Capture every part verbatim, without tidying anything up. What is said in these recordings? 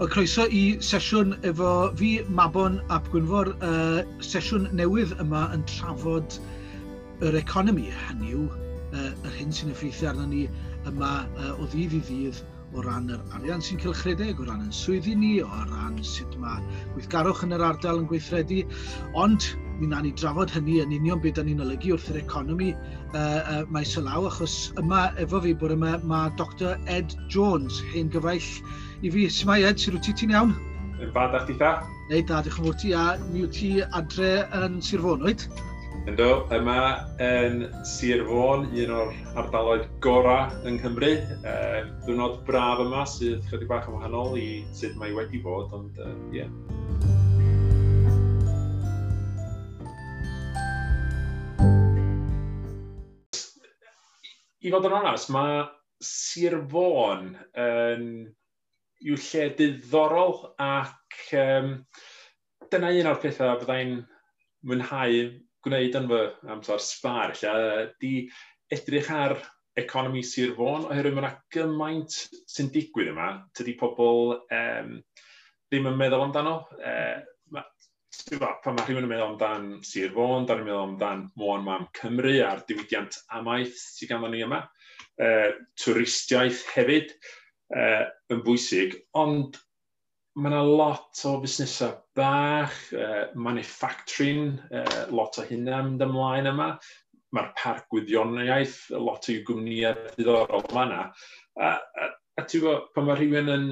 Wel, croeso i sesiwn efo fi, Mabon ap Gwynfor, uh, sesiwn newydd yma yn trafod yr economi, hynny yw, uh, yr hyn sy'n effeithio arno ni yma uh, o ddydd i ddydd o ran yr arian sy'n cylchredeg, o ran yn swyddi ni, o ran sut mae gweithgarwch yn yr ardal yn gweithredu, ond mi wnawn ni drafod hynny yn union beth da ni'n olygu wrth yr economi uh, uh, maes o law, achos yma efo fi bore yma mae Doctor Ed Jones, hen gyfaill i fi. Shwmae Ed, sut wyt ti, ti'n iawn? Yn fa, da chdi tha? Neu da, diolch yn fawr ti, a mi wyt ti adre yn Sir Fôn, wyt? Ynddo, yma yn Sir Fôn, un o'r ardaloedd gorau yng Nghymru. E, diwrnod braf yma sydd chydig bach yn wahanol i sut mae wedi bod, ond ie. Uh, yeah. I fod yn onest, mae Sir Fôn yn yw lle diddorol ac um, dyna un o'r pethau fyddai'n mwynhau gwneud yn fy amser sbâr, lle, di edrych ar economi Sir Fôn, oherwydd mae yna gymaint sy'n digwydd yma, tydi pobl um, ddim yn meddwl amdano. Uh, ma, pan mae rhywun yn meddwl amdan Sir Fôn, da ni'n meddwl amdan Môn Mam Cymru a'r diwydiant amaeth sydd ganddo ni yma, uh, twristiaeth hefyd uh, yn bwysig, ond mae yna lot o busnesau bach, uh, manufacturing, uh, lot o hynna mynd ymlaen yma. Mae'r parc gwyddoniaeth, lot o gwmnïau diddorol yma yna. A, a, a ti'n gwybod, pan mae rhywun yn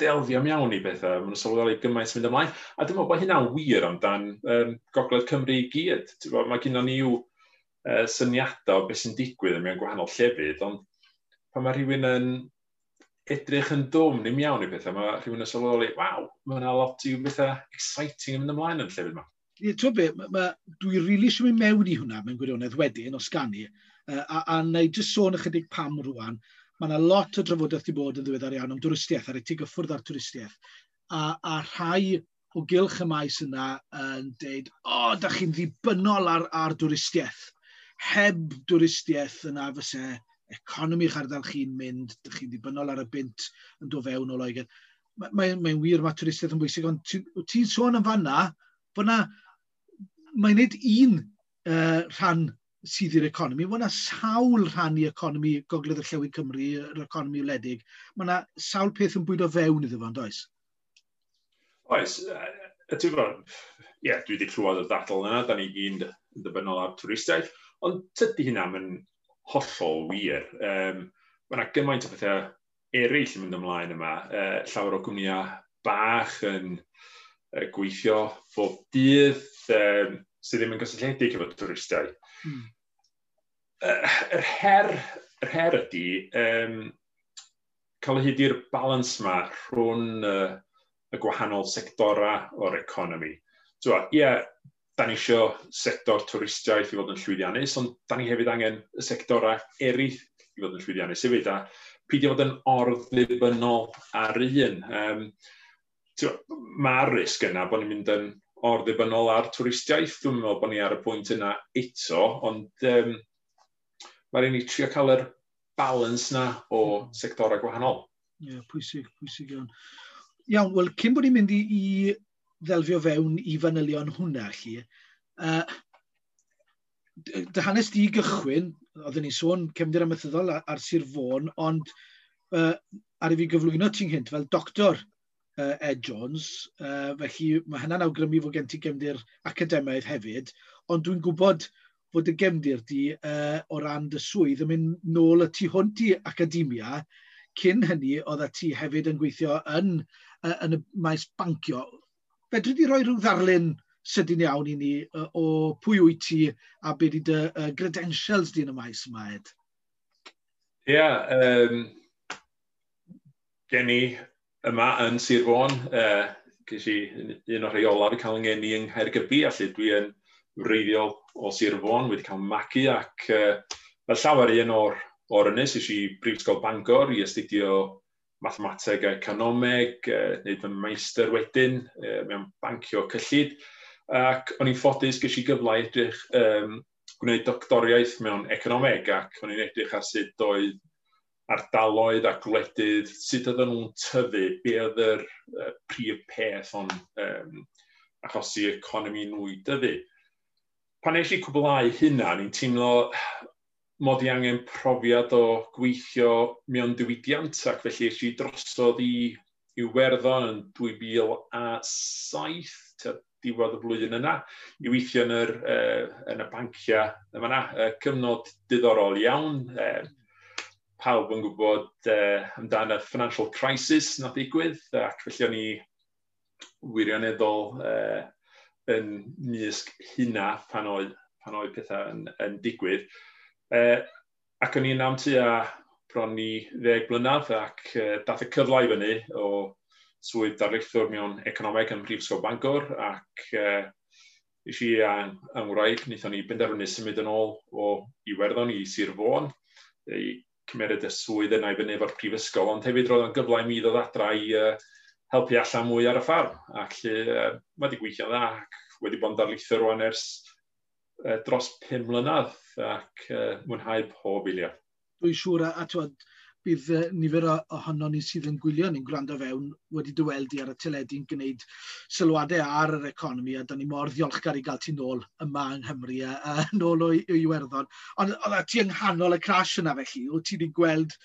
delfio mewn i bethau, maen nhw'n sylweddoli gymaint sy'n mynd ymlaen. A dwi'n meddwl bod hynna'n wir amdan um, Gogledd Cymru i gyd. Ti'n gwybod, mae gynnon ni yw uh, syniadau o beth sy'n digwydd mewn gwahanol llefydd, ond pan mae rhywun yn edrych yn dwfn i mewn i bethau, mae rhywun yn sylweddoli, waw, mae yna lot i bethau exciting yn mynd ymlaen yn llefydd yma. Ie, ti'n be, ma, ma, dwi rili really eisiau mynd mewn i hwnna mewn gwirionedd wedyn, os gani, uh, a, a na i jyst sôn ychydig pam rwan. Mae yna lot o drafodaeth wedi bod yn ddiweddar iawn am dwristiaeth, ar ei ti gyffwrdd ar twristiaeth. A, a rhai o gylch y maes yna yn deud, o, oh, da chi'n ddibynnol ar, ar dwristiaeth. Heb dwristiaeth yna fyse economi eich ardal chi'n mynd, da chi'n ddibynnol ar y bunt yn dod fewn o Loegr. Mae'n mae, mae wir, mae twristiaeth yn bwysig, ond ti'n ti sôn yn fanna, bod na, mae'n nid un uh, rhan sydd i'r economi. Mae yna sawl rhan i economi Gogledd Orllewin Cymru, yr economi wledig. Mae yna sawl peth yn bwydo fewn iddo fo, on'd oes? Oes. Ti'n gwybod, ie, dwi wedi clywed y ddadl yna, da ni gyd yn ddibynnol ar twristiaeth, ond tydi hynna yn hollol wir. Um, mae yna gymaint o bethau eraill yn mynd ymlaen yma. Uh, llawer o gwmnïau bach yn uh, gweithio bob dydd um, sydd ddim yn gysylltiedig efo twristiaid. Hmm. Uh, yr her, yr her ydy um, cael o hyd i'r balans yma rhwng uh, y gwahanol sectora o'r economi. Ie, yeah, da ni isio sector twristiaeth i fod yn llwyddiannus, ond da ni hefyd angen y sectora eraill i fod yn llwyddiannus hefyd, a peidio fod yn or-ddibynnol ar un. Um, Mae'r risg yna bod ni'n mynd yn or-ddibynnol ar twristiaeth. Dwi'n meddwl bod ni ar y pwynt yna eto, ond um, mae'n rhaid ni trio cael yr balans na o sectorau gwahanol. Ie, yeah, pwysig, pwysig iawn. Iawn, wel, cyn bod ni'n mynd i, i ddelfio fewn i fanylion hwnna, chi, uh, dy hanes di gychwyn, oedden ni'n sôn cefndir amaethyddol ar, ar Sir Fôn, ond uh, ar i fi gyflwyno ti'n gynt fel doctor uh, Ed Jones, uh, felly mae hynna'n awgrymu fod gen ti gefndir academaidd hefyd, ond dwi'n gwybod fod y gefndir di uh, o ran dy swydd yn mynd nôl y tu hwnt i academia. Cyn hynny, oeddet ti hefyd yn gweithio yn, uh, yn y maes bancio. Fedri di roi rhyw ddarlun sydyn iawn i ni uh, o pwy wyt ti a be di dy uh, credentials di yn y maes yma, Ed? Ie, yeah, um, gen i yma yn Sir Fôn, uh, ges i un o'r rhai olaf i cael yng ngeni yng Nghaergybi, a lle dwi yn wreiddiol o Sir Fôn, wedi cael magu ac uh, fel llawer un o'r, o'r ynys, es i Brifysgol Bangor i astudio mathemateg a economeg, uh, wneud fy meistr wedyn uh, mewn bancio cyllid, ac o'n i'n ffodus ges i gyfle i edrych um, gwneud doctoriaeth mewn economeg, ac o'n i'n edrych ar sut oedd ardaloedd a gwledydd, sut oedden nhw'n tyfu, be oedd yr uh, prif peth o'n um, achosi economi nhw i dyfu. Pan nes i cwblhau hynna, ni'n teimlo mod i angen profiad o gweithio mewn diwydiant, ac felly es i drosodd i Iwerddon yn dwy fil a saith, tua diwedd y blwyddyn yna, i weithio yn, yr, uh, yn y banciau yma yna. Uh, cyfnod diddorol iawn. Uh, pawb yn gwybod uh, amdan y financial crisis nath ddigwydd, ac felly o'n i wirioneddol uh, yn mysg hynna pan oedd, pan oedd pethau yn, yn digwydd. Uh, ac o'n i'n am tua bron i ddeg blynedd, ac uh, dath y cyfle i fyny o swydd darlithwr mewn economeg ym Mhrifysgol Bangor, ac uh, nes i a'n ngwraig, wnaethon ni benderfynu symud yn ôl o Iwerddon i Sir Fôn, i cymeryd y swydd yna i fyny efo'r prifysgol, ond hefyd roedd o'n gyfle i mi ddod adra i uh, helpu allan mwy ar y ffarm, ac lle uh, mae wedi gweithio'n dda, ac wedi bod yn darlithwr rwan ers uh, dros pum mlynedd, ac uh, mwynhau pob eiliad. Dwi'n siŵr, a, a twod, bydd nifer ohonon ni sydd yn gwylio ni'n gwrando fewn wedi dy weld i ar y teledu'n gwneud sylwadau ar yr economi, a da ni mor ddiolchgar i gael ti nôl yma yng Nghymru a, a nôl o, o Iwerddon. Ond oedd ti yng nghanol y crash yna felly, wyt ti wedi gweld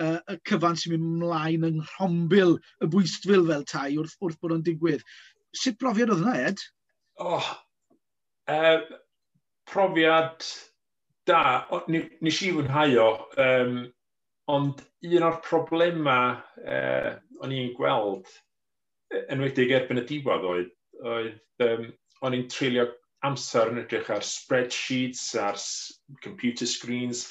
uh, y cyfan sy'n mynd mlaen yng nghrombil y bwystfil fel tai wrth, wrth bod o'n digwydd. Sut brofiad oedd hwnna, Ed? Oh, uh, profiad da. O, nes i fwynhau o, um, ond un o'r problemau uh, o'n i'n gweld, enwedig erbyn y diwedd oedd, oedd um, o'n i'n treulio amser yn edrych ar spreadsheets, ar computer screens,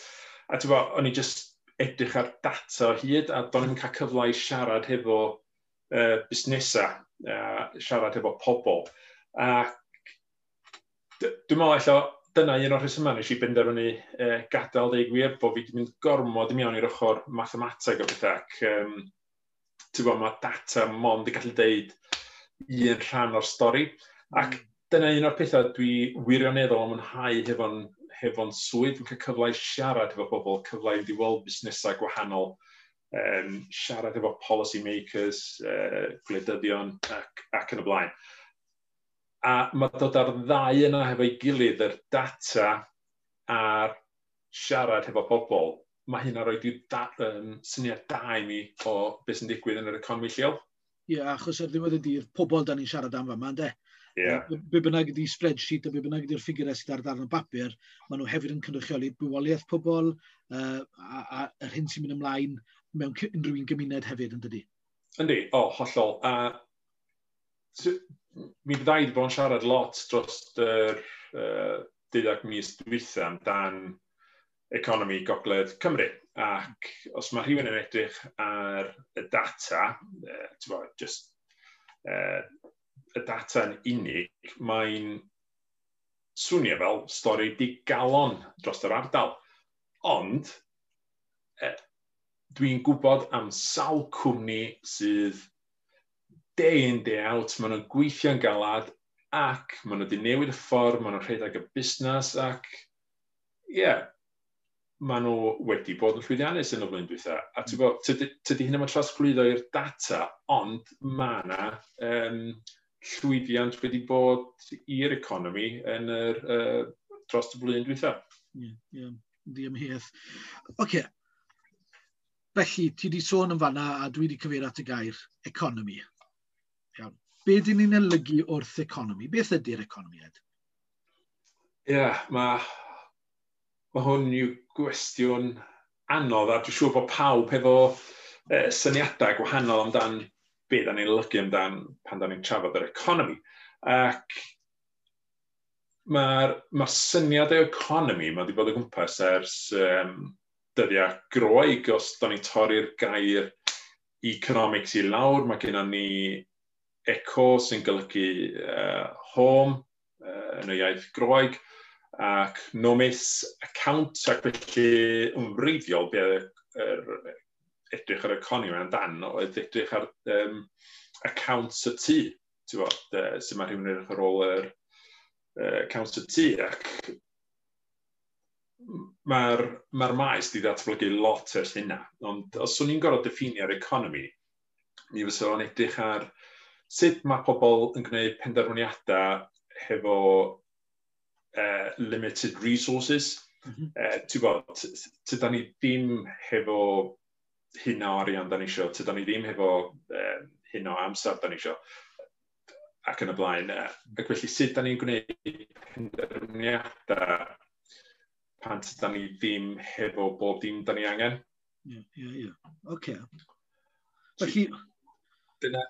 a ti'n gwbod, o'n i just edrych ar data o hyd, a do'n i'm cael cyfle i siarad hefo uh, busnesau, uh, siarad hefo pobl. A dwi'n meddwl ella dyna un o'r rhesymau nes i benderfynu uh, gadael, dweud gwir, bod fi wedi mynd gormod i mewn i'r ochr mathemateg o bethau, ac um, ti'n gwbod, mae data mond yn gallu deud un rhan o'r stori. Ac dyna un o'r pethau dwi wirioneddol yn mwynhau hefo'n hefo'n swydd. Dwi'n cael cyfle i siarad hefo bobl, cyfle i fynd i weld busnesau gwahanol, um, siarad efo policy makers, uh, gwleidyddion ac, ac yn y blaen. A mae dod ar ddau yna hefo'i gilydd, yr data a'r siarad hefo pobl, mae hynna rhoi da, um, syniad da i mi o beth sy'n digwydd yn yr economi lleol. Ie, yeah, achos ar ddiwedd y dydd, pobl da ni'n siarad am fama, ynde? Yeah. Be bynnag ydi spreadsheet a be bynnag ydi'r ffigurau sydd ar ddarn o bapur, maen nhw hefyd yn cynrychioli bywoliaeth pobl uh, a, a yr hyn sy'n mynd ymlaen mewn unrhyw un gymuned hefyd, yn dydi? Yndi, o, hollol. A mi fydda i wedi bod yn siarad lot dros yr uh, deuddeg mis dwytha amdan economi Gogledd Cymru. Ac os mae rhywun yn edrych ar y data, uh, bod, just, uh, y data yn unig, mae'n swnio fel stori digalon dros yr ardal. Ond, eh, dwi'n gwybod am sawl cwmni sydd day in, day out, maen nhw'n gweithio'n galad ac maen nhw wedi newid y ffordd, maen nhw'n rhedeg y busnes ac, ie, yeah, maen nhw wedi bod yn llwyddiannus yn y flwyddyn dwytha. A ti'n gwybod, tydi, tydi hynny yn trosglwyddo i'r data, ond mae yna um, llwyddiant wedi bod i'r economi yn yr, uh, dros y blwyddyn dwytha. Ie, ie, ddiamheuaeth. Oce, felly, ti wedi sôn yn fanna a dwi wedi cyfeirio at y gair economi. Iawn. Be dyn ni'n olygu wrth economi? Beth ydy'r economi, Ed? Ie, yeah, mae ma hwn yw gwestiwn anodd, a dwi'n siŵr bod pawb hefo eh, syniadau gwahanol amdan be da ni'n olygu amdan pan da ni'n trafod yr economi. Ac mae'r ma syniad o economi, mae wedi bod o gwmpas ers um, dyddiau Groeg. Os da ni'n torri'r gair economics i lawr, mae gennym ni eco sy'n golygu uh, home uh, yn y iaith Groeg, ac nomis account, ac felly yn wreiddiol be er, edrych ar economi amdan oedd edrych ar um, accounts y tŷ, ti'n bod, uh, sut mae rhywun yn edrych ar ôl yr uh, accounts y tŷ, ac Mae'r ma maes di ddatblygu lot ers hynna, ond os o'n i'n gorfod diffinio'r economi, mi fysa fo'n edrych ar sut mae pobl yn gwneud penderfyniadau hefo uh, limited resources. Mm -hmm. uh, Ti'n gwybod, tydan ni ddim hefo hyn o arian da ni isio, tydan ni ddim hefo uh, hyn o amser da ni isio, ac yn y blaen. Ac felly sut da ni'n gwneud penderfyniadau pan tydan ni ddim hefo bob dim da ni angen. Ie, ie, ie. Oce. Felly... Dyna,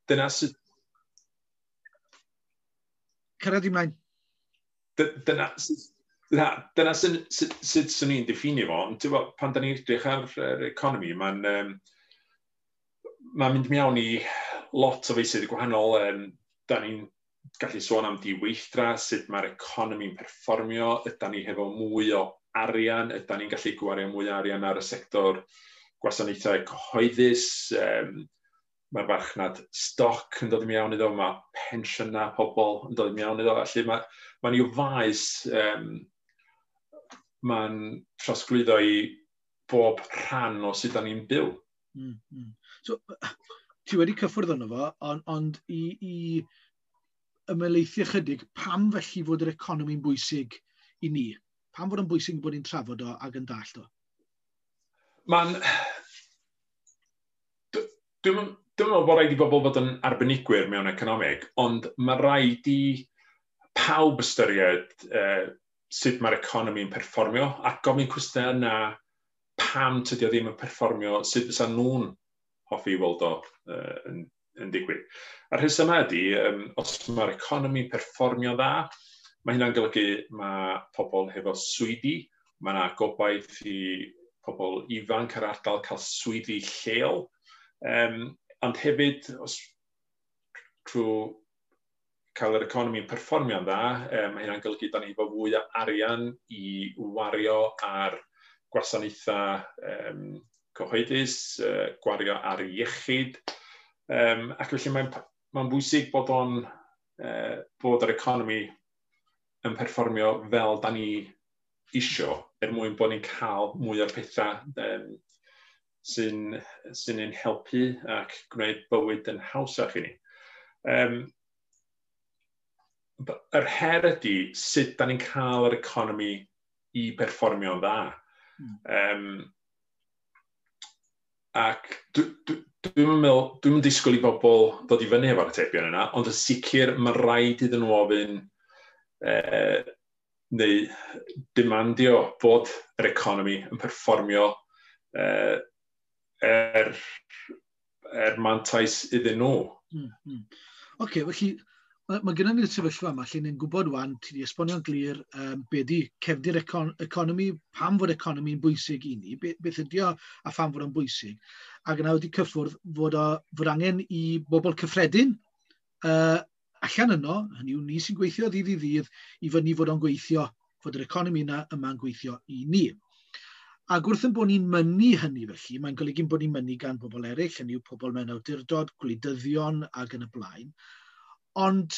dyna sut... Cyrraedd i mlaen. Dyna, dyna, dyna sut, sut, sut swn i'n diffinio fo, ond ti'n pan da ni'n edrych ar yr economi, mae'n um, ma mynd mewn i lot o feysydd gwahanol. Um, da ni'n gallu sôn am diweithdra, sut mae'r economi'n perfformio, ydy ni hefo mwy o arian, ydy ni'n gallu gwario mwy o arian ar y sector gwasanaethau cyhoeddus, um, mae'r farchnad stoc yn dod i mewn iddo, mae pensiynau pobl yn dod i mewn iddo, felly mae, mae'n i'w faes, um, mae'n trosglwyddo i bob rhan o sut da ni'n byw. Mm, mm. So, ti wedi cyffwrdd arno fo, ond, ond i, i ymhelaethu ychydig, pam felly fod yr economi'n bwysig i ni? Pam fod yn bwysig bod ni'n trafod o ac yn dallt o? Mae'n... Dwi'n dwi'n meddwl bod rhaid i bobl fod yn arbenigwyr mewn economeg, ond mae rhaid i pawb ystyried uh, sut mae'r economi'n perfformio a gofyn cwestiynau yna pam tydi o ddim yn perfformio, sut fysa nhw'n hoffi weld o uh, yn, yn digwydd. A'r rhesymau ydy, um, os mae'r economi'n perfformio dda, mae hynna'n golygu mae pobl hefo swyddi, mae yna gobaith i pobl ifanc ar ardal cael swyddi lleol, um, ond hefyd, os trwy cael yr economi'n perfformio'n dda, um, mae hynna'n golygu da ni efo fwy o arian i wario ar gwasanaethau um, cyhoeddus, uh, gwario ar iechyd, um, ac felly mae'n mae'n bwysig bod o'n uh, bod yr economi yn perfformio fel da ni isio, er mwyn bod ni'n cael mwy o'r pethau um, sy'n sy'n ein helpu ac gwneud bywyd yn hawsach i ni. Um, yr her ydy sut da ni'n cael yr economi i perfformio'n dda. Mm. Um, ac dwi'n dwi meddwl, dwi'n disgwyl i bobl ddod i fyny efo'r atebion yna, ond yn sicr mae rhaid iddyn nhw ofyn eh, neu demandio bod yr economi yn perfformio eh, er, er mantais iddyn nhw. Mm, mm. Oce, okay, felly mae, mae gennym ni'r sefyllfa yma lle ni'n gwybod wan, ti wedi esbonio'n glir um, be di cefndir econ economi, pam fod economi'n bwysig i ni, be, beth ydi o a pham fod o'n bwysig. Ac yna wedi cyffwrdd fod, o, fod angen i bobl cyffredin uh, allan yno, hynny yw ni sy'n gweithio ddydd i ddydd, i fyny fod o'n gweithio, fod yr economi yna yma'n gweithio i ni. Ac wrth yn bod ni'n mynnu hynny felly, mae'n golygu bod ni'n mynnu gan bobl eraill, hynny yw pobl mewn awdurdod, gwleidyddion ac yn y blaen. Ond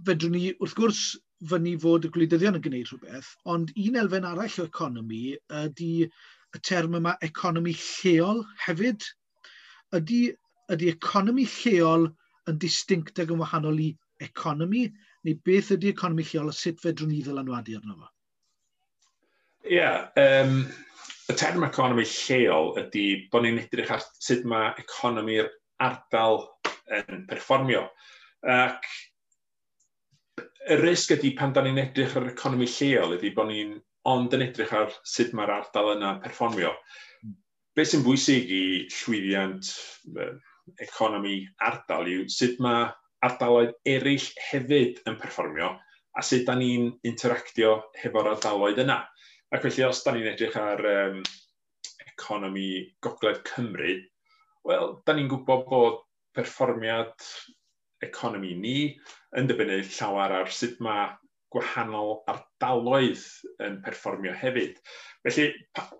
fedrwn ni, wrth gwrs, fyny fod y gwleidyddion yn gwneud rhywbeth, ond un elfen arall o economi ydy y term yma economi lleol hefyd. Ydy, ydy economi lleol yn distinct ac yn wahanol i economi, neu beth ydy economi lleol a sut fedrwn ni ddylanwadu arno fo? Ie, yeah, um, y term economi lleol ydy bod ni'n edrych ar sut mae economi'r ardal yn perfformio. Ac y risg ydy pan da ni'n edrych ar economi lleol ydy bod ni'n ond yn edrych ar sut mae'r ardal yna'n perfformio. Be sy'n bwysig i llwyddiant economi ardal yw sut mae ardaloedd eraill hefyd yn perfformio a sut da ni'n interactio hefo'r ardaloedd yna. Ac felly os da ni'n edrych ar um, economi Gogledd Cymru, wel, da ni'n gwybod bod perfformiad economi ni yn dibynnu llawer ar sut mae gwahanol ardaloedd yn perfformio hefyd. Felly,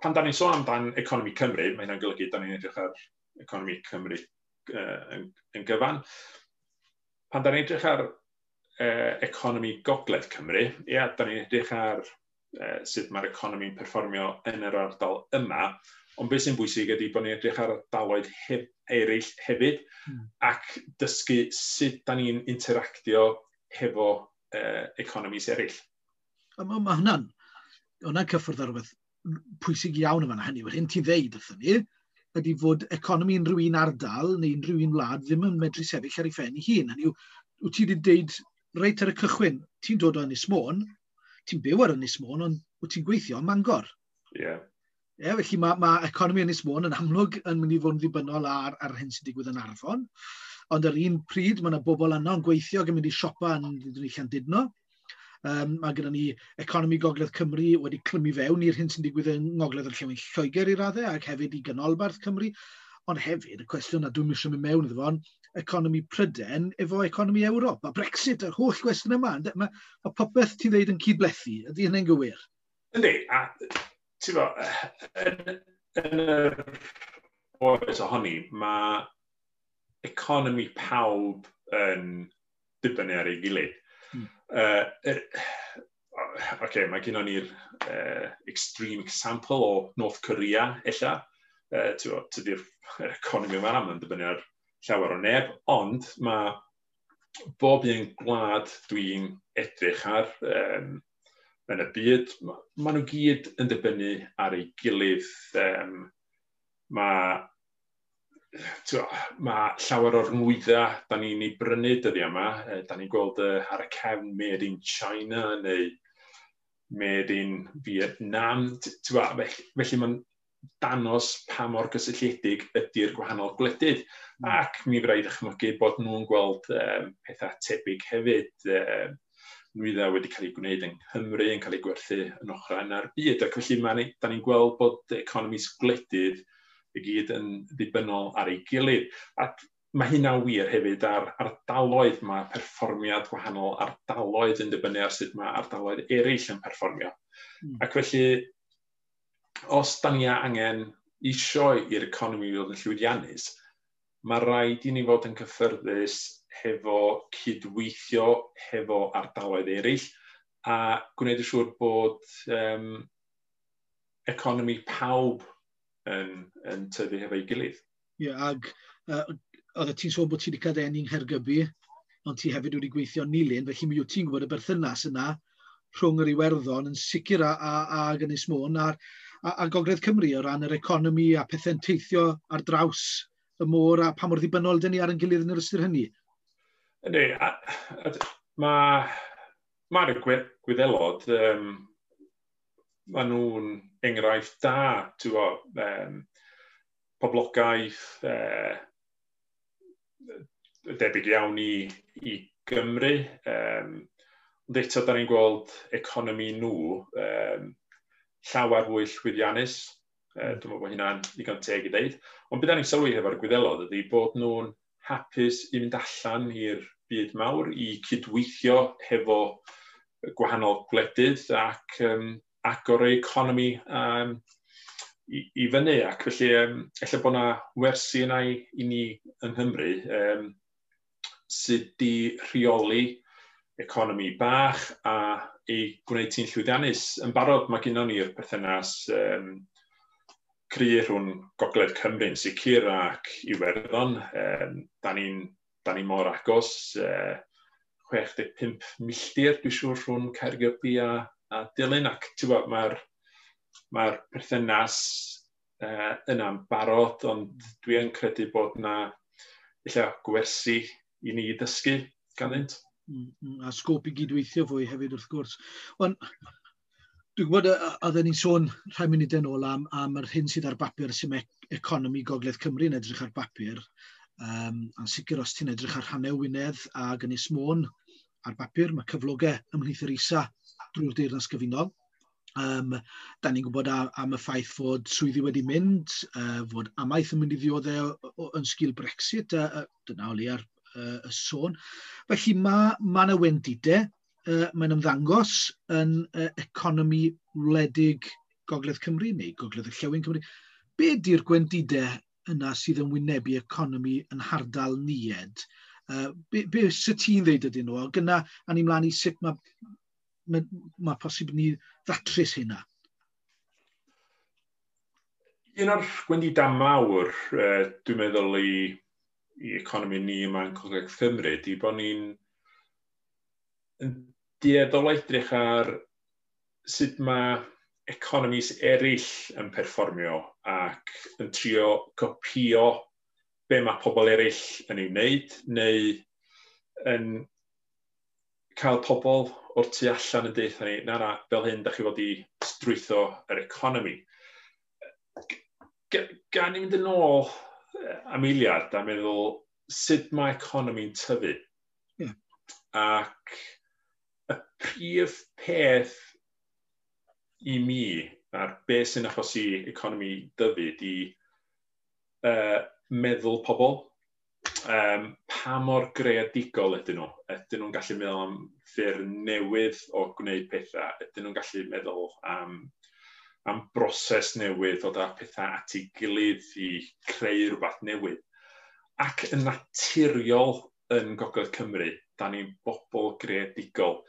pan da ni'n sôn amdan economi Cymru, mae hynna'n golygu da ni'n edrych ar economi Cymru uh, yn, yn gyfan. Pan da ni'n edrych ar uh, economi Gogledd Cymru, ia, da ni'n edrych ar uh, sut mae'r economi'n perfformio yn yr ardal yma, ond beth sy'n bwysig ydy bod ni'n edrych ar ardaloedd hef, eraill hefyd mm. ac dysgu sut da ni'n interactio hefo uh, economies eraill. Mae ma hwnna'n hwnna'n cyffwrdd ar rhywbeth pwysig iawn yma hynny. Yr hyn ti'n ddeud wrthyn ni ydy fod economi unrhyw un ardal neu unrhyw un wlad ddim yn medru sefyll ar ei phen ei hun. Hynny yw, wyt ti wedi deud reit ar y cychwyn, ti'n dod o Ynys Môn, ti'n byw ar Ynys Môn, ond wyt ti'n gweithio ym Mangor. Ie. Yeah. Yeah, felly mae, mae economi Ynys Môn yn amlwg yn mynd i fod yn ddibynnol ar, ar hyn sy'n digwydd yn Arfon. Ond ar un pryd, mae yna bobl yno yn gweithio ac yn mynd i siopa yn Llandudno. Um, mae gyda ni economi Gogledd Cymru wedi clymu fewn i'r hyn sy'n digwydd yng Ngogledd Orllewin Lloegr i raddau ac hefyd i Ganolbarth Cymru. Ond hefyd, y cwestiwn na dwi'n eisiau mynd mewn iddo fo, economi Prydain efo economi Ewrop. A Brexit, yr holl gwestiwn yma. Mae, mae popeth ti'n dweud yn cydblethu. Ydy hynny'n gywir? Yndi, a ti'n bo, yn, yn yr oes ohoni, mae economi pawb yn dibynnu ar ei gilydd. Hmm. Uh, er, okay, mae gennon ni'r uh, extreme example o North Korea, ella. Uh, Tydi'r economi yma am yn dibynnu ar llawer o neb, ond mae bob un gwlad dwi'n edrych ar um, yn y byd, maen nhw gyd yn dibynnu ar ei gilydd. Um, mae mae llawer o'r nwyddau da ni'n ei brynu dyddiau yma, da ni'n gweld ar y cefn made in China neu made in Vietnam. Felly mae'n danos pa mor gysylltiedig ydy'r gwahanol gwledydd. Mm. Ac mi fydd rhaid ychmygu bod nhw'n gweld um, pethau tebyg hefyd. Um, nwyddau wedi cael eu gwneud yng Nghymru yn cael eu gwerthu yn ochr yna'r byd. Ac felly ma, da ni'n gweld bod economies gwledydd i gyd yn ddibynnol ar ei gilydd. Ac mae hynna'n wir hefyd ar ardaloedd. Mae perfformiad gwahanol ardaloedd yn dibynnu ar sut mae ardaloedd eraill yn perfformio. Mm. Ac felly, os da ni angen isio i'r economi fod yn llwyddiannus, mae rhaid i ni fod yn cyffyrddus hefo cydweithio hefo ardaloedd eraill a gwneud yn siŵr bod um, economi pawb yn, yn tyfu hefo'i gilydd. Ie, yeah, ag uh, oeddet ti'n sôn bod ti wedi cael dy eni yng Nghaergybi, ond ti hefyd wedi gweithio yn Nulyn, felly mi wyt ti'n gwybod y berthynas yna rhwng yr Iwerddon yn sicr a, a, a Ynys Môn a, a, a Gogledd Cymru o ran yr economi a pethau'n teithio ar draws y môr a pa mor ddibynnol dyn ni ar ein gilydd yn yr ystyr hynny. Yndi, mae mae'r Gwyddelod, um, maen nhw'n enghraifft da, ti'n gwbo, um, poblogaeth uh, debyg iawn i, i Gymru. Um, ond eto, da ni'n gweld economi nhw um, llawer fwy llwyddiannus. Uh, dwi'n meddwl bod hynna'n ddigon teg i ddeud. Ond beth da ni'n sylwi hefo'r Gwyddelod ydy bod nhw'n hapus i fynd allan i'r byd mawr, i cydweithio hefo gwahanol gwledydd ac um, agor ei economi um, i, i fyny. Ac felly, um, ella bod yna wersi yna i, i ni yng Nghymru um, sydd di rheoli economi bach a ei gwneud ti'n llwyddiannus. Yn barod, mae gennon ni'r perthynas um, cry rhwng Gogledd Cymru yn sicr ac Iwerddon. Um, da ni'n da ni mor agos, uh, chwech deg pump milltir, dwi'n siŵr, rhwng Caergybi a, a Dulyn. Ac ti'n gwybod, mae'r mae'r perthynas uh, yna'n barod, ond dwi yn credu bod yna ella gwersi i ni ddysgu ganddynt. Mm, mm, a sgôp i gydweithio fwy hefyd wrth gwrs. Ond dwi'n gwybod, oedden ni'n sôn rhai munudau nôl am, am yr hyn sydd ar bapur, sy'n economi Gogledd Cymru yn edrych ar bapur. Um, a'n sicr os ti'n edrych ar rhannau Wynedd ac Ynys Môn ar bapur, mae cyflogau ymhlith yr isa drwy'r Deyrnas Gyfunol. Um, da ni'n gwybod am, am y ffaith fod swyddi wedi mynd, uh, fod amaeth yn mynd i ddioddef yn sgil Brexit, uh, uh, dyna o leia'r uh, y sôn. Felly mae ma yna wendidau, uh, mae'n ymddangos yn uh, economi wledig Gogledd Cymru neu Gogledd Orllewin Cymru. Be di'r gwendidau yna sydd yn wynebu economi yn hardal ni, Ed? Uh, be, be sut ti'n ddeud ydyn nhw? Gyna, a ni mlaen i sut mae mae, mae posib ni ddatrys hynna? Un o'r gwendidau mawr, uh, dwi'n meddwl i, i economi ni yma yn Gogledd Cymru, di bod ni'n yn dueddol edrych ar sut mae economies eraill yn perfformio ac yn trio copio be mae pobl eraill yn ei wneud, neu yn cael pobl o'r tu allan yn deutha ni, na na, fel hyn, da chi fod i strwytho yr economi. Gan i fynd yn ôl am eiliad a meddwl sut mae economi'n tyfu. Yeah. Ac y prif peth i mi, a'r beth sy'n achosi economi dyfu, di uh, meddwl pobl. Um, pa mor greadigol ydyn nhw? Ydyn nhw'n gallu meddwl am ffyrdd newydd o gwneud pethau? Ydyn nhw'n gallu meddwl am, am broses newydd o ddod pethau at ei gilydd i creu rhywbeth newydd? Ac yn naturiol yn Gogledd Cymru, da ni'n bobl greadigol.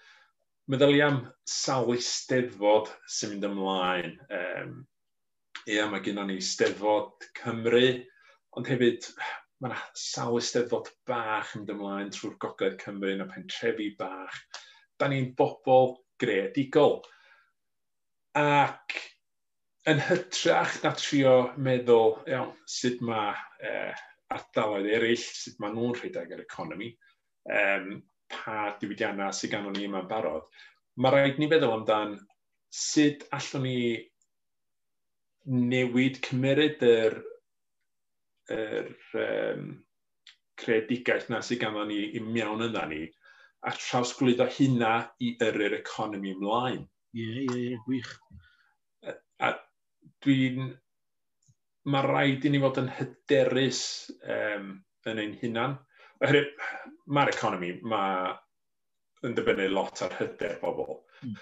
Meddylia am sawl eisteddfod sy'n mynd ymlaen. Um, ia, mae gennym ni Steddfod Cymru, ond hefyd mae yna sawl eisteddfod bach yn mynd ymlaen trwy'r Gogledd Cymru yn y pentrefi bach. Da ni'n bobl greadigol. Ac yn hytrach na trio meddwl, iawn, sut mae eh, ardaloedd eraill, sut mae nhw'n rhedeg yr economi, um, pa diwydiannau sydd ganddo ni yma'n barod, mae rhaid ni feddwl amdan sut allwn ni newid, cymeryd yr yr um, creadigaeth na sydd ganddo ni i mewn yna ni, a trawsglwyddo hynna i yrru'r economi ymlaen. Ie, ie, ie, gwych. A, a dwi'n... Mae rhaid i ni fod yn hyderus um, yn ein hunan. Oherwydd mae'r economi ma yn dibynnu lot ar hyder bobl. Mm.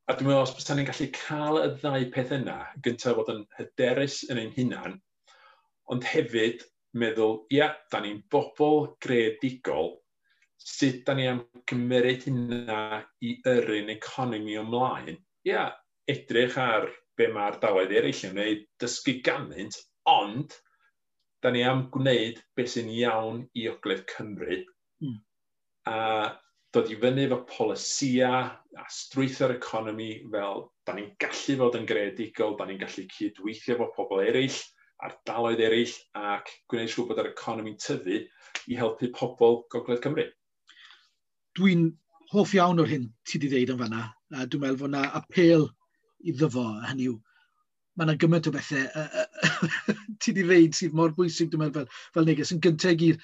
A dwi'n meddwl, os bysa ni'n gallu cael y ddau peth yna, gyntaf fod yn hyderus yn ein hunan, ond hefyd meddwl, ia, da ni'n bobl greadigol, sut da ni am gymryd hynna i yrru'n economi ymlaen? Ia, edrych ar be mae ardaloedd eraill yn wneud, dysgu ganddynt, ond da ni am gwneud beth sy'n iawn i Ogledd Cymru mm. a dod i fyny efo polisia a strwythur economi fel da ni'n gallu fod yn greadigol, da ni'n gallu cydweithio efo pobl eraill, ardaloedd eraill, ac gwneud siŵr bod yr economi'n tyfu i helpu pobl Gogledd Cymru. Dwi'n hoff iawn o'r hyn ti wedi ddeud yn fanna. A dwi'n meddwl fod yna apêl iddo fo, hynny yw, mae yna gymaint o bethau uh, uh, ti wedi ddeud sydd mor bwysig, dwi'n meddwl, fel, fel neges. Yn gyntaf i gyd,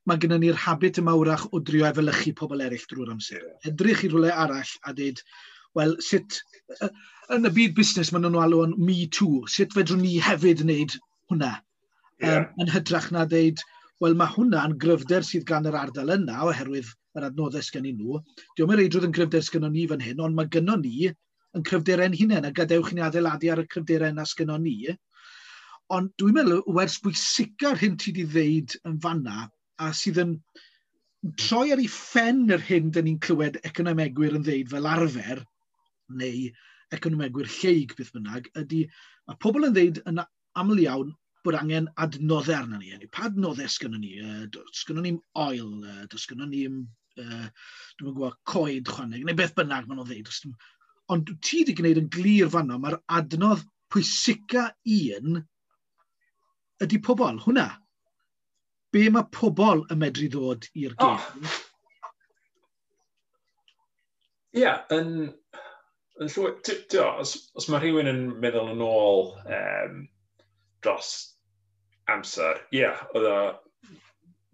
mae gennym ni'r habit yma wrach o drio efelychu pobl eraill drwy'r amser. Edrych i rhywle arall a dweud, wel, sut, uh, yn y byd busnes maen nhw'n alw yn me too, sut fedrwn ni hefyd wneud hwnna? Yeah. Um, yn hytrach na dweud, wel, mae hwnna'n gryfder sydd gan yr ardal yna oherwydd yr adnoddau sgennyn nhw. Dio'm yn reidrwydd yn gryfder sgynnon ni fan hyn, ond mae gynnon ni yn cryfderau'n hunain, a gadewch i ni adeiladu ar y cryfderau yna sgynnon ni. Ond dwi'n meddwl, wers bwysica'r hyn ti wedi ddeud yn fanna, a sydd yn troi ar ei phen yr hyn dyn ni'n clywed economegwyr yn ddeud fel arfer, neu economegwyr lleig beth bynnag, ydy, mae pobl yn ddeud yn aml iawn bod angen adnoddau arno ni. Pa adnoddau sgynnon ni? Sgynnon ni'm oil, does gynnon ni'm, uh, dwi'm yn gwybod, coed chwaneg, neu beth bynnag maen nhw'n ddeud. Ond ti wedi gwneud yn glir fanno, mae'r adnodd pwysica un ydy pobl, hwnna. Be mae pobl yn medru ddod i'r gêm? Ie, yeah, yn, yn llwy... Os, os mae rhywun yn meddwl yn ôl um, dros amser, ie, yeah, oedd o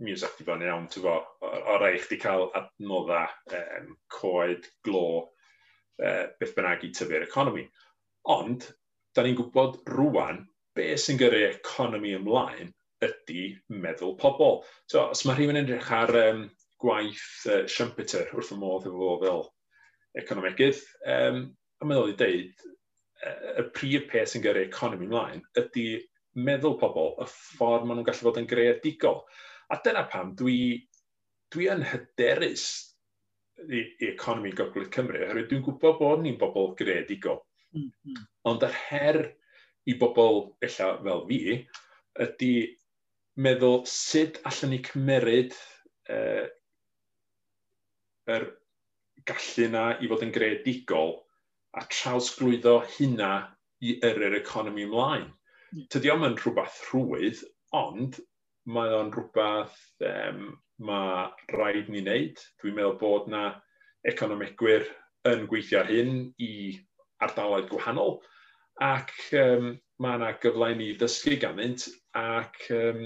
music di bod yn iawn, ti'n bo, o, o rai chdi cael adnoddau, um, coed, glo, uh, beth bynnag i tyfu'r economi. Ond, da ni'n gwybod rwan, be sy'n gyrru economi ymlaen ydy meddwl pobl. So, os mae rhywun yn edrych ar um, gwaith uh, Schumpeter wrth y modd efo fo fel economegydd, um, a meddwl i deud, y prif peth sy'n gyrru economi ymlaen ydy meddwl pobl, y ffordd maen nhw'n gallu fod yn greadigol. A dyna pam dwi, dwi yn hyderus i, i economi Gogledd Cymru, oherwydd dwi'n gwybod bod ni'n bobl greadigol. Mm, mm. Ond yr her i bobl ella fel fi ydy meddwl sut allan ni cymeryd uh, yr gallu na i fod yn greadigol a trawsglwyddo hynna i yrru'r economi ymlaen. Mm. Tydi o'm yn rhywbeth rhwydd, ond mae o'n rhywbeth um, mae rhaid ni wneud. Dwi'n meddwl bod na economegwyr yn gweithio ar hyn i ardaloedd gwahanol, ac um, mae yna gyfle i ni ddysgu ganddynt ac um,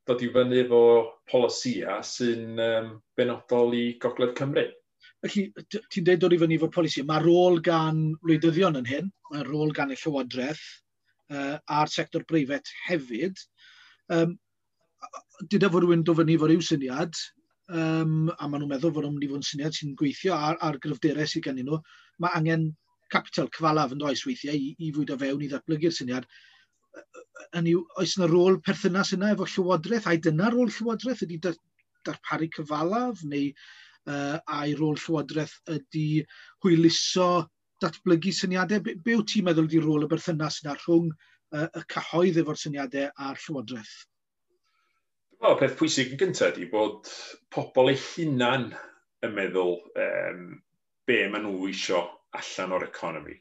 dod i fyny efo polisïau sy'n um, benodol i Gogledd Cymru. Felly, ti'n dweud dod i fyny efo polisi. Mae rôl gan wleidyddion yn hyn, mae rôl gan y Llywodraeth uh, a'r sector breifat hefyd. Um, Dyda fod rhywun dod fyny efo ryw syniad, um, a maen nhw'n meddwl fod nhw'n mynd i fod yn syniad sy'n gweithio ar, ar gryfderau sydd gennyn nhw, mae angen capital cyfalaf yn does weithiau i, i fwydo fewn i ddatblygu'r syniad. Hynny yw, oes yna rôl perthynas yna efo Llywodraeth? Ai dyna rôl Llywodraeth ydy darparu cyfalaf, neu uh, ai rôl Llywodraeth ydy hwyluso datblygu syniadau? Be, be wyt ti'n meddwl ydy rôl y berthynas yna rhwng uh, y cyhoedd efo'r syniadau a'r Llywodraeth? Dwi'n meddwl peth pwysig yn gyntaf ydy bod pobl eu hunan yn meddwl um, be maen nhw isio allan o'r economi.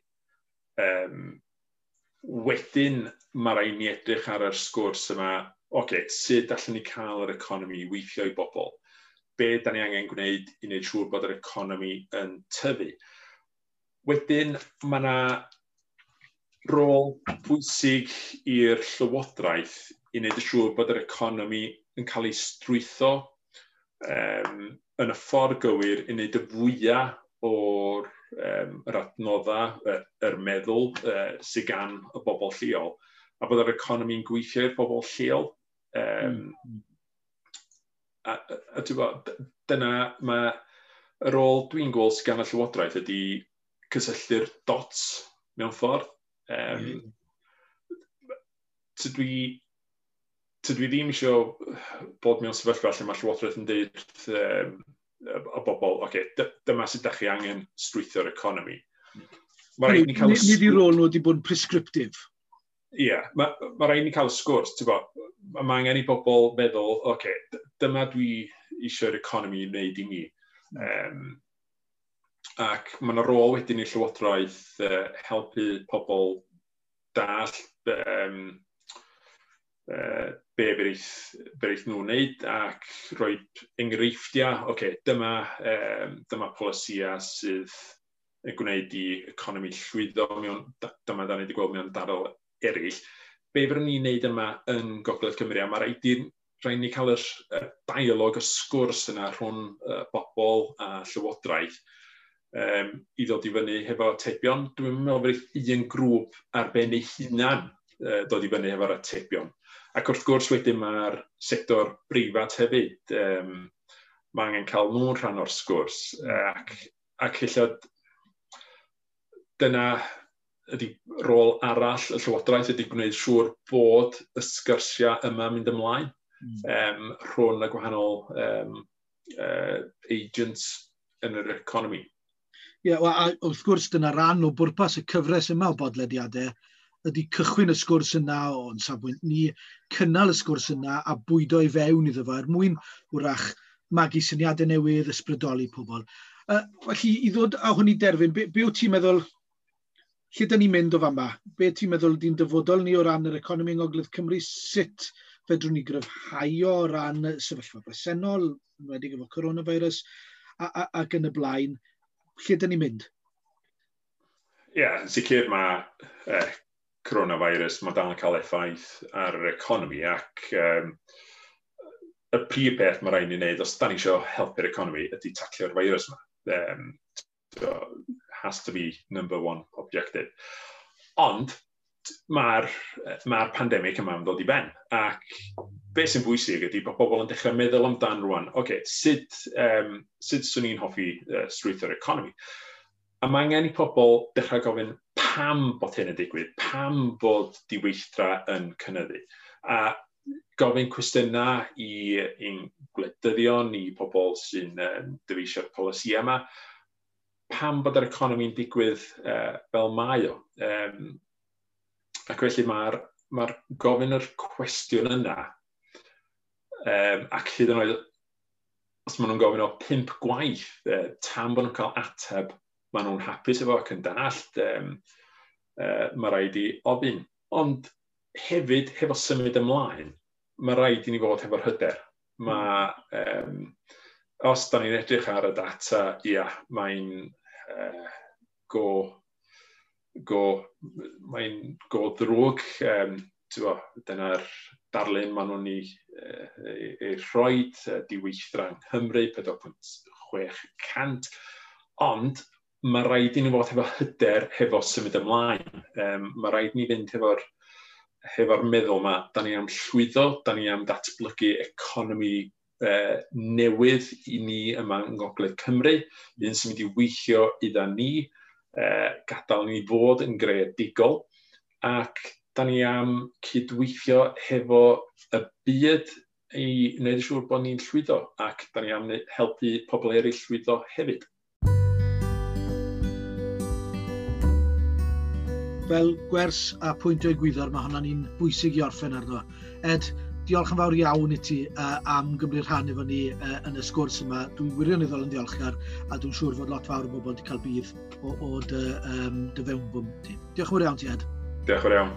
Um, wedyn mae rhaid ni edrych ar yr sgwrs yma, oce, okay, sut allan ni cael yr economi i weithio i bobl? Be da ni angen gwneud i wneud siŵr bod yr economi yn tyfu? Wedyn mae yna rôl pwysig i'r Llywodraeth i wneud yn siŵr bod yr economi yn cael ei strwytho um, yn y ffordd gywir i wneud y fwyaf o'r um, yr adnoddau, yr meddwl uh, sydd gan y bobl lleol, a bod yr economi'n gweithio i'r bobl lleol. Um, mm. A, a, a ti'n gwbod, dyna mae y rôl dwi'n gweld sydd gan y Llywodraeth ydy cysylltu'r dots mewn ffordd. Um, mm. Tydw i, tydw i ddim eisiau bod mewn sefyllfa lle mae Llywodraeth yn dweud wrth um, y bobl, oce, okay, dyma sut ydych chi angen strwythio'r economi. Mae rhaid ni cael y Nid i rôl nhw wedi bod yn prescriptive. Ie, yeah, mae ma rhaid ni cael y sgwrs, ti'n bod, mae angen i bobl feddwl, oce, okay, dyma dwi eisiau'r economi i wneud i mi. Um, ac mae yna rôl wedyn i Llywodraeth uh, helpu pobl dall um, uh, be bereith, bereith nhw'n wneud ac rhoi enghreifftiau, oce, okay, dyma, um, dyma polisïau sydd yn gwneud i economi llwyddo mewn, dyma da ni wedi gweld mewn ardal eraill. Be fyddwn ni'n wneud yma yn Gogledd Cymru, a mae rhaid i rhaid ni cael yr, y dialog, y sgwrs yna rhwng uh, bobl a Llywodraeth um, i ddod i fyny hefo atebion. Dwi'n meddwl bod un grŵp ar ben ei hunan uh, dod i fyny hefo'r atebion. Ac wrth gwrs wedyn mae'r sector breifat hefyd, um, mae angen cael nhw'n rhan o'r sgwrs. Ac, ac ella dyna ydy rôl arall y Llywodraeth ydy gwneud siŵr bod y sgyrsiau yma mynd ymlaen mm. um, rhwng y gwahanol um, uh, agents yn yr economi. Ie, yeah, well, a wrth gwrs dyna ran o bwrpas y cyfres yma o bodlediadau ydy cychwyn y sgwrs yna o'n safbwynt ni, cynnal y sgwrs yna a bwydo i fewn iddo fo er mwyn wrach magu syniadau newydd, ysbrydoli pobl. Uh, felly, i ddod â hwn i derfyn, be, be wyt ti'n meddwl, lle dyn ni'n mynd o fama? Be ti'n meddwl di'n dyfodol ni o ran yr economi yng Ngogledd Cymru? Sut fedrwn ni gryfhau o ran y sefyllfa bresennol, enwedig efo coronavirus, a, a, ac yn y blaen, lle dyn ni'n mynd? Ie, yeah, yn sicr mae eh, coronavirus, mae dal yn cael effaith ar yr economi ac um, y prif peth mae rhaid ni wneud os da ni eisiau helpu'r economi ydy taclo'r virus yma. Um, so, has to be number one objective. Ond mae'r ma pandemig yma yn dod i ben ac beth sy'n bwysig ydy bod pobl yn dechrau meddwl amdan rwan, oce, okay, sut, um, sut swn i'n hoffi uh, strwythur economi? A mae angen i pobl dechrau gofyn pam bod hyn yn digwydd, pam bod diweithdra yn cynyddu. A Gofyn cwestiynau i i'n gwleidyddion, i pobl sy'n um, dyfeisio'r polisi yma, pam bod yr economi'n digwydd uh, fel mae o. Um, ac felly mae'r mae gofyn yr cwestiwn yna, um, ac hyd yn oed os maen nhw'n gofyn o pump gwaith, uh, tan bod nhw'n cael ateb, maen nhw'n hapus efo ac yn dallt, um, uh, mae rhaid i ofyn. Ond hefyd, hefo symud ymlaen, mae rhaid i ni fod hefo'r hyder. Mae, um, os da ni'n edrych ar y data, ia, mae'n uh, go, go, mae'n go ddrwg. Um, bo, dyna'r darlun maen nhw'n ei, ei, ei rhoi, diweithdra yng Nghymru, pedwar pwynt chwech cant. Ond mae rhaid i ni fod hefo hyder hefo symud ymlaen. Um, mae rhaid i ni fynd hefo'r hefo'r meddwl yma, da ni am llwyddo, da ni am datblygu economi eh, newydd i ni yma yng Ngogledd Cymru, un sy'n mynd i weithio idda ni, eh, gadael ni fod yn greadigol, ac da ni am cydweithio hefo y byd i wneud yn siŵr bod ni'n llwyddo, ac da ni am helpu pobl eraill llwyddo hefyd. Fel gwers a pwynt o egwyddor, mae hwnna'n un bwysig i orffen arno. Ed, diolch yn fawr iawn i ti uh, am gymryd rhan efo ni uh, yn y sgwrs yma. Dwi'n wirioneddol yn ddiolchgar a dwi'n siŵr fod lot fawr o bobl wedi cael budd o, o dy, um, dy fewnbwn ti. Diolch yn fawr iawn ti, Ed. Diolch yn fawr iawn.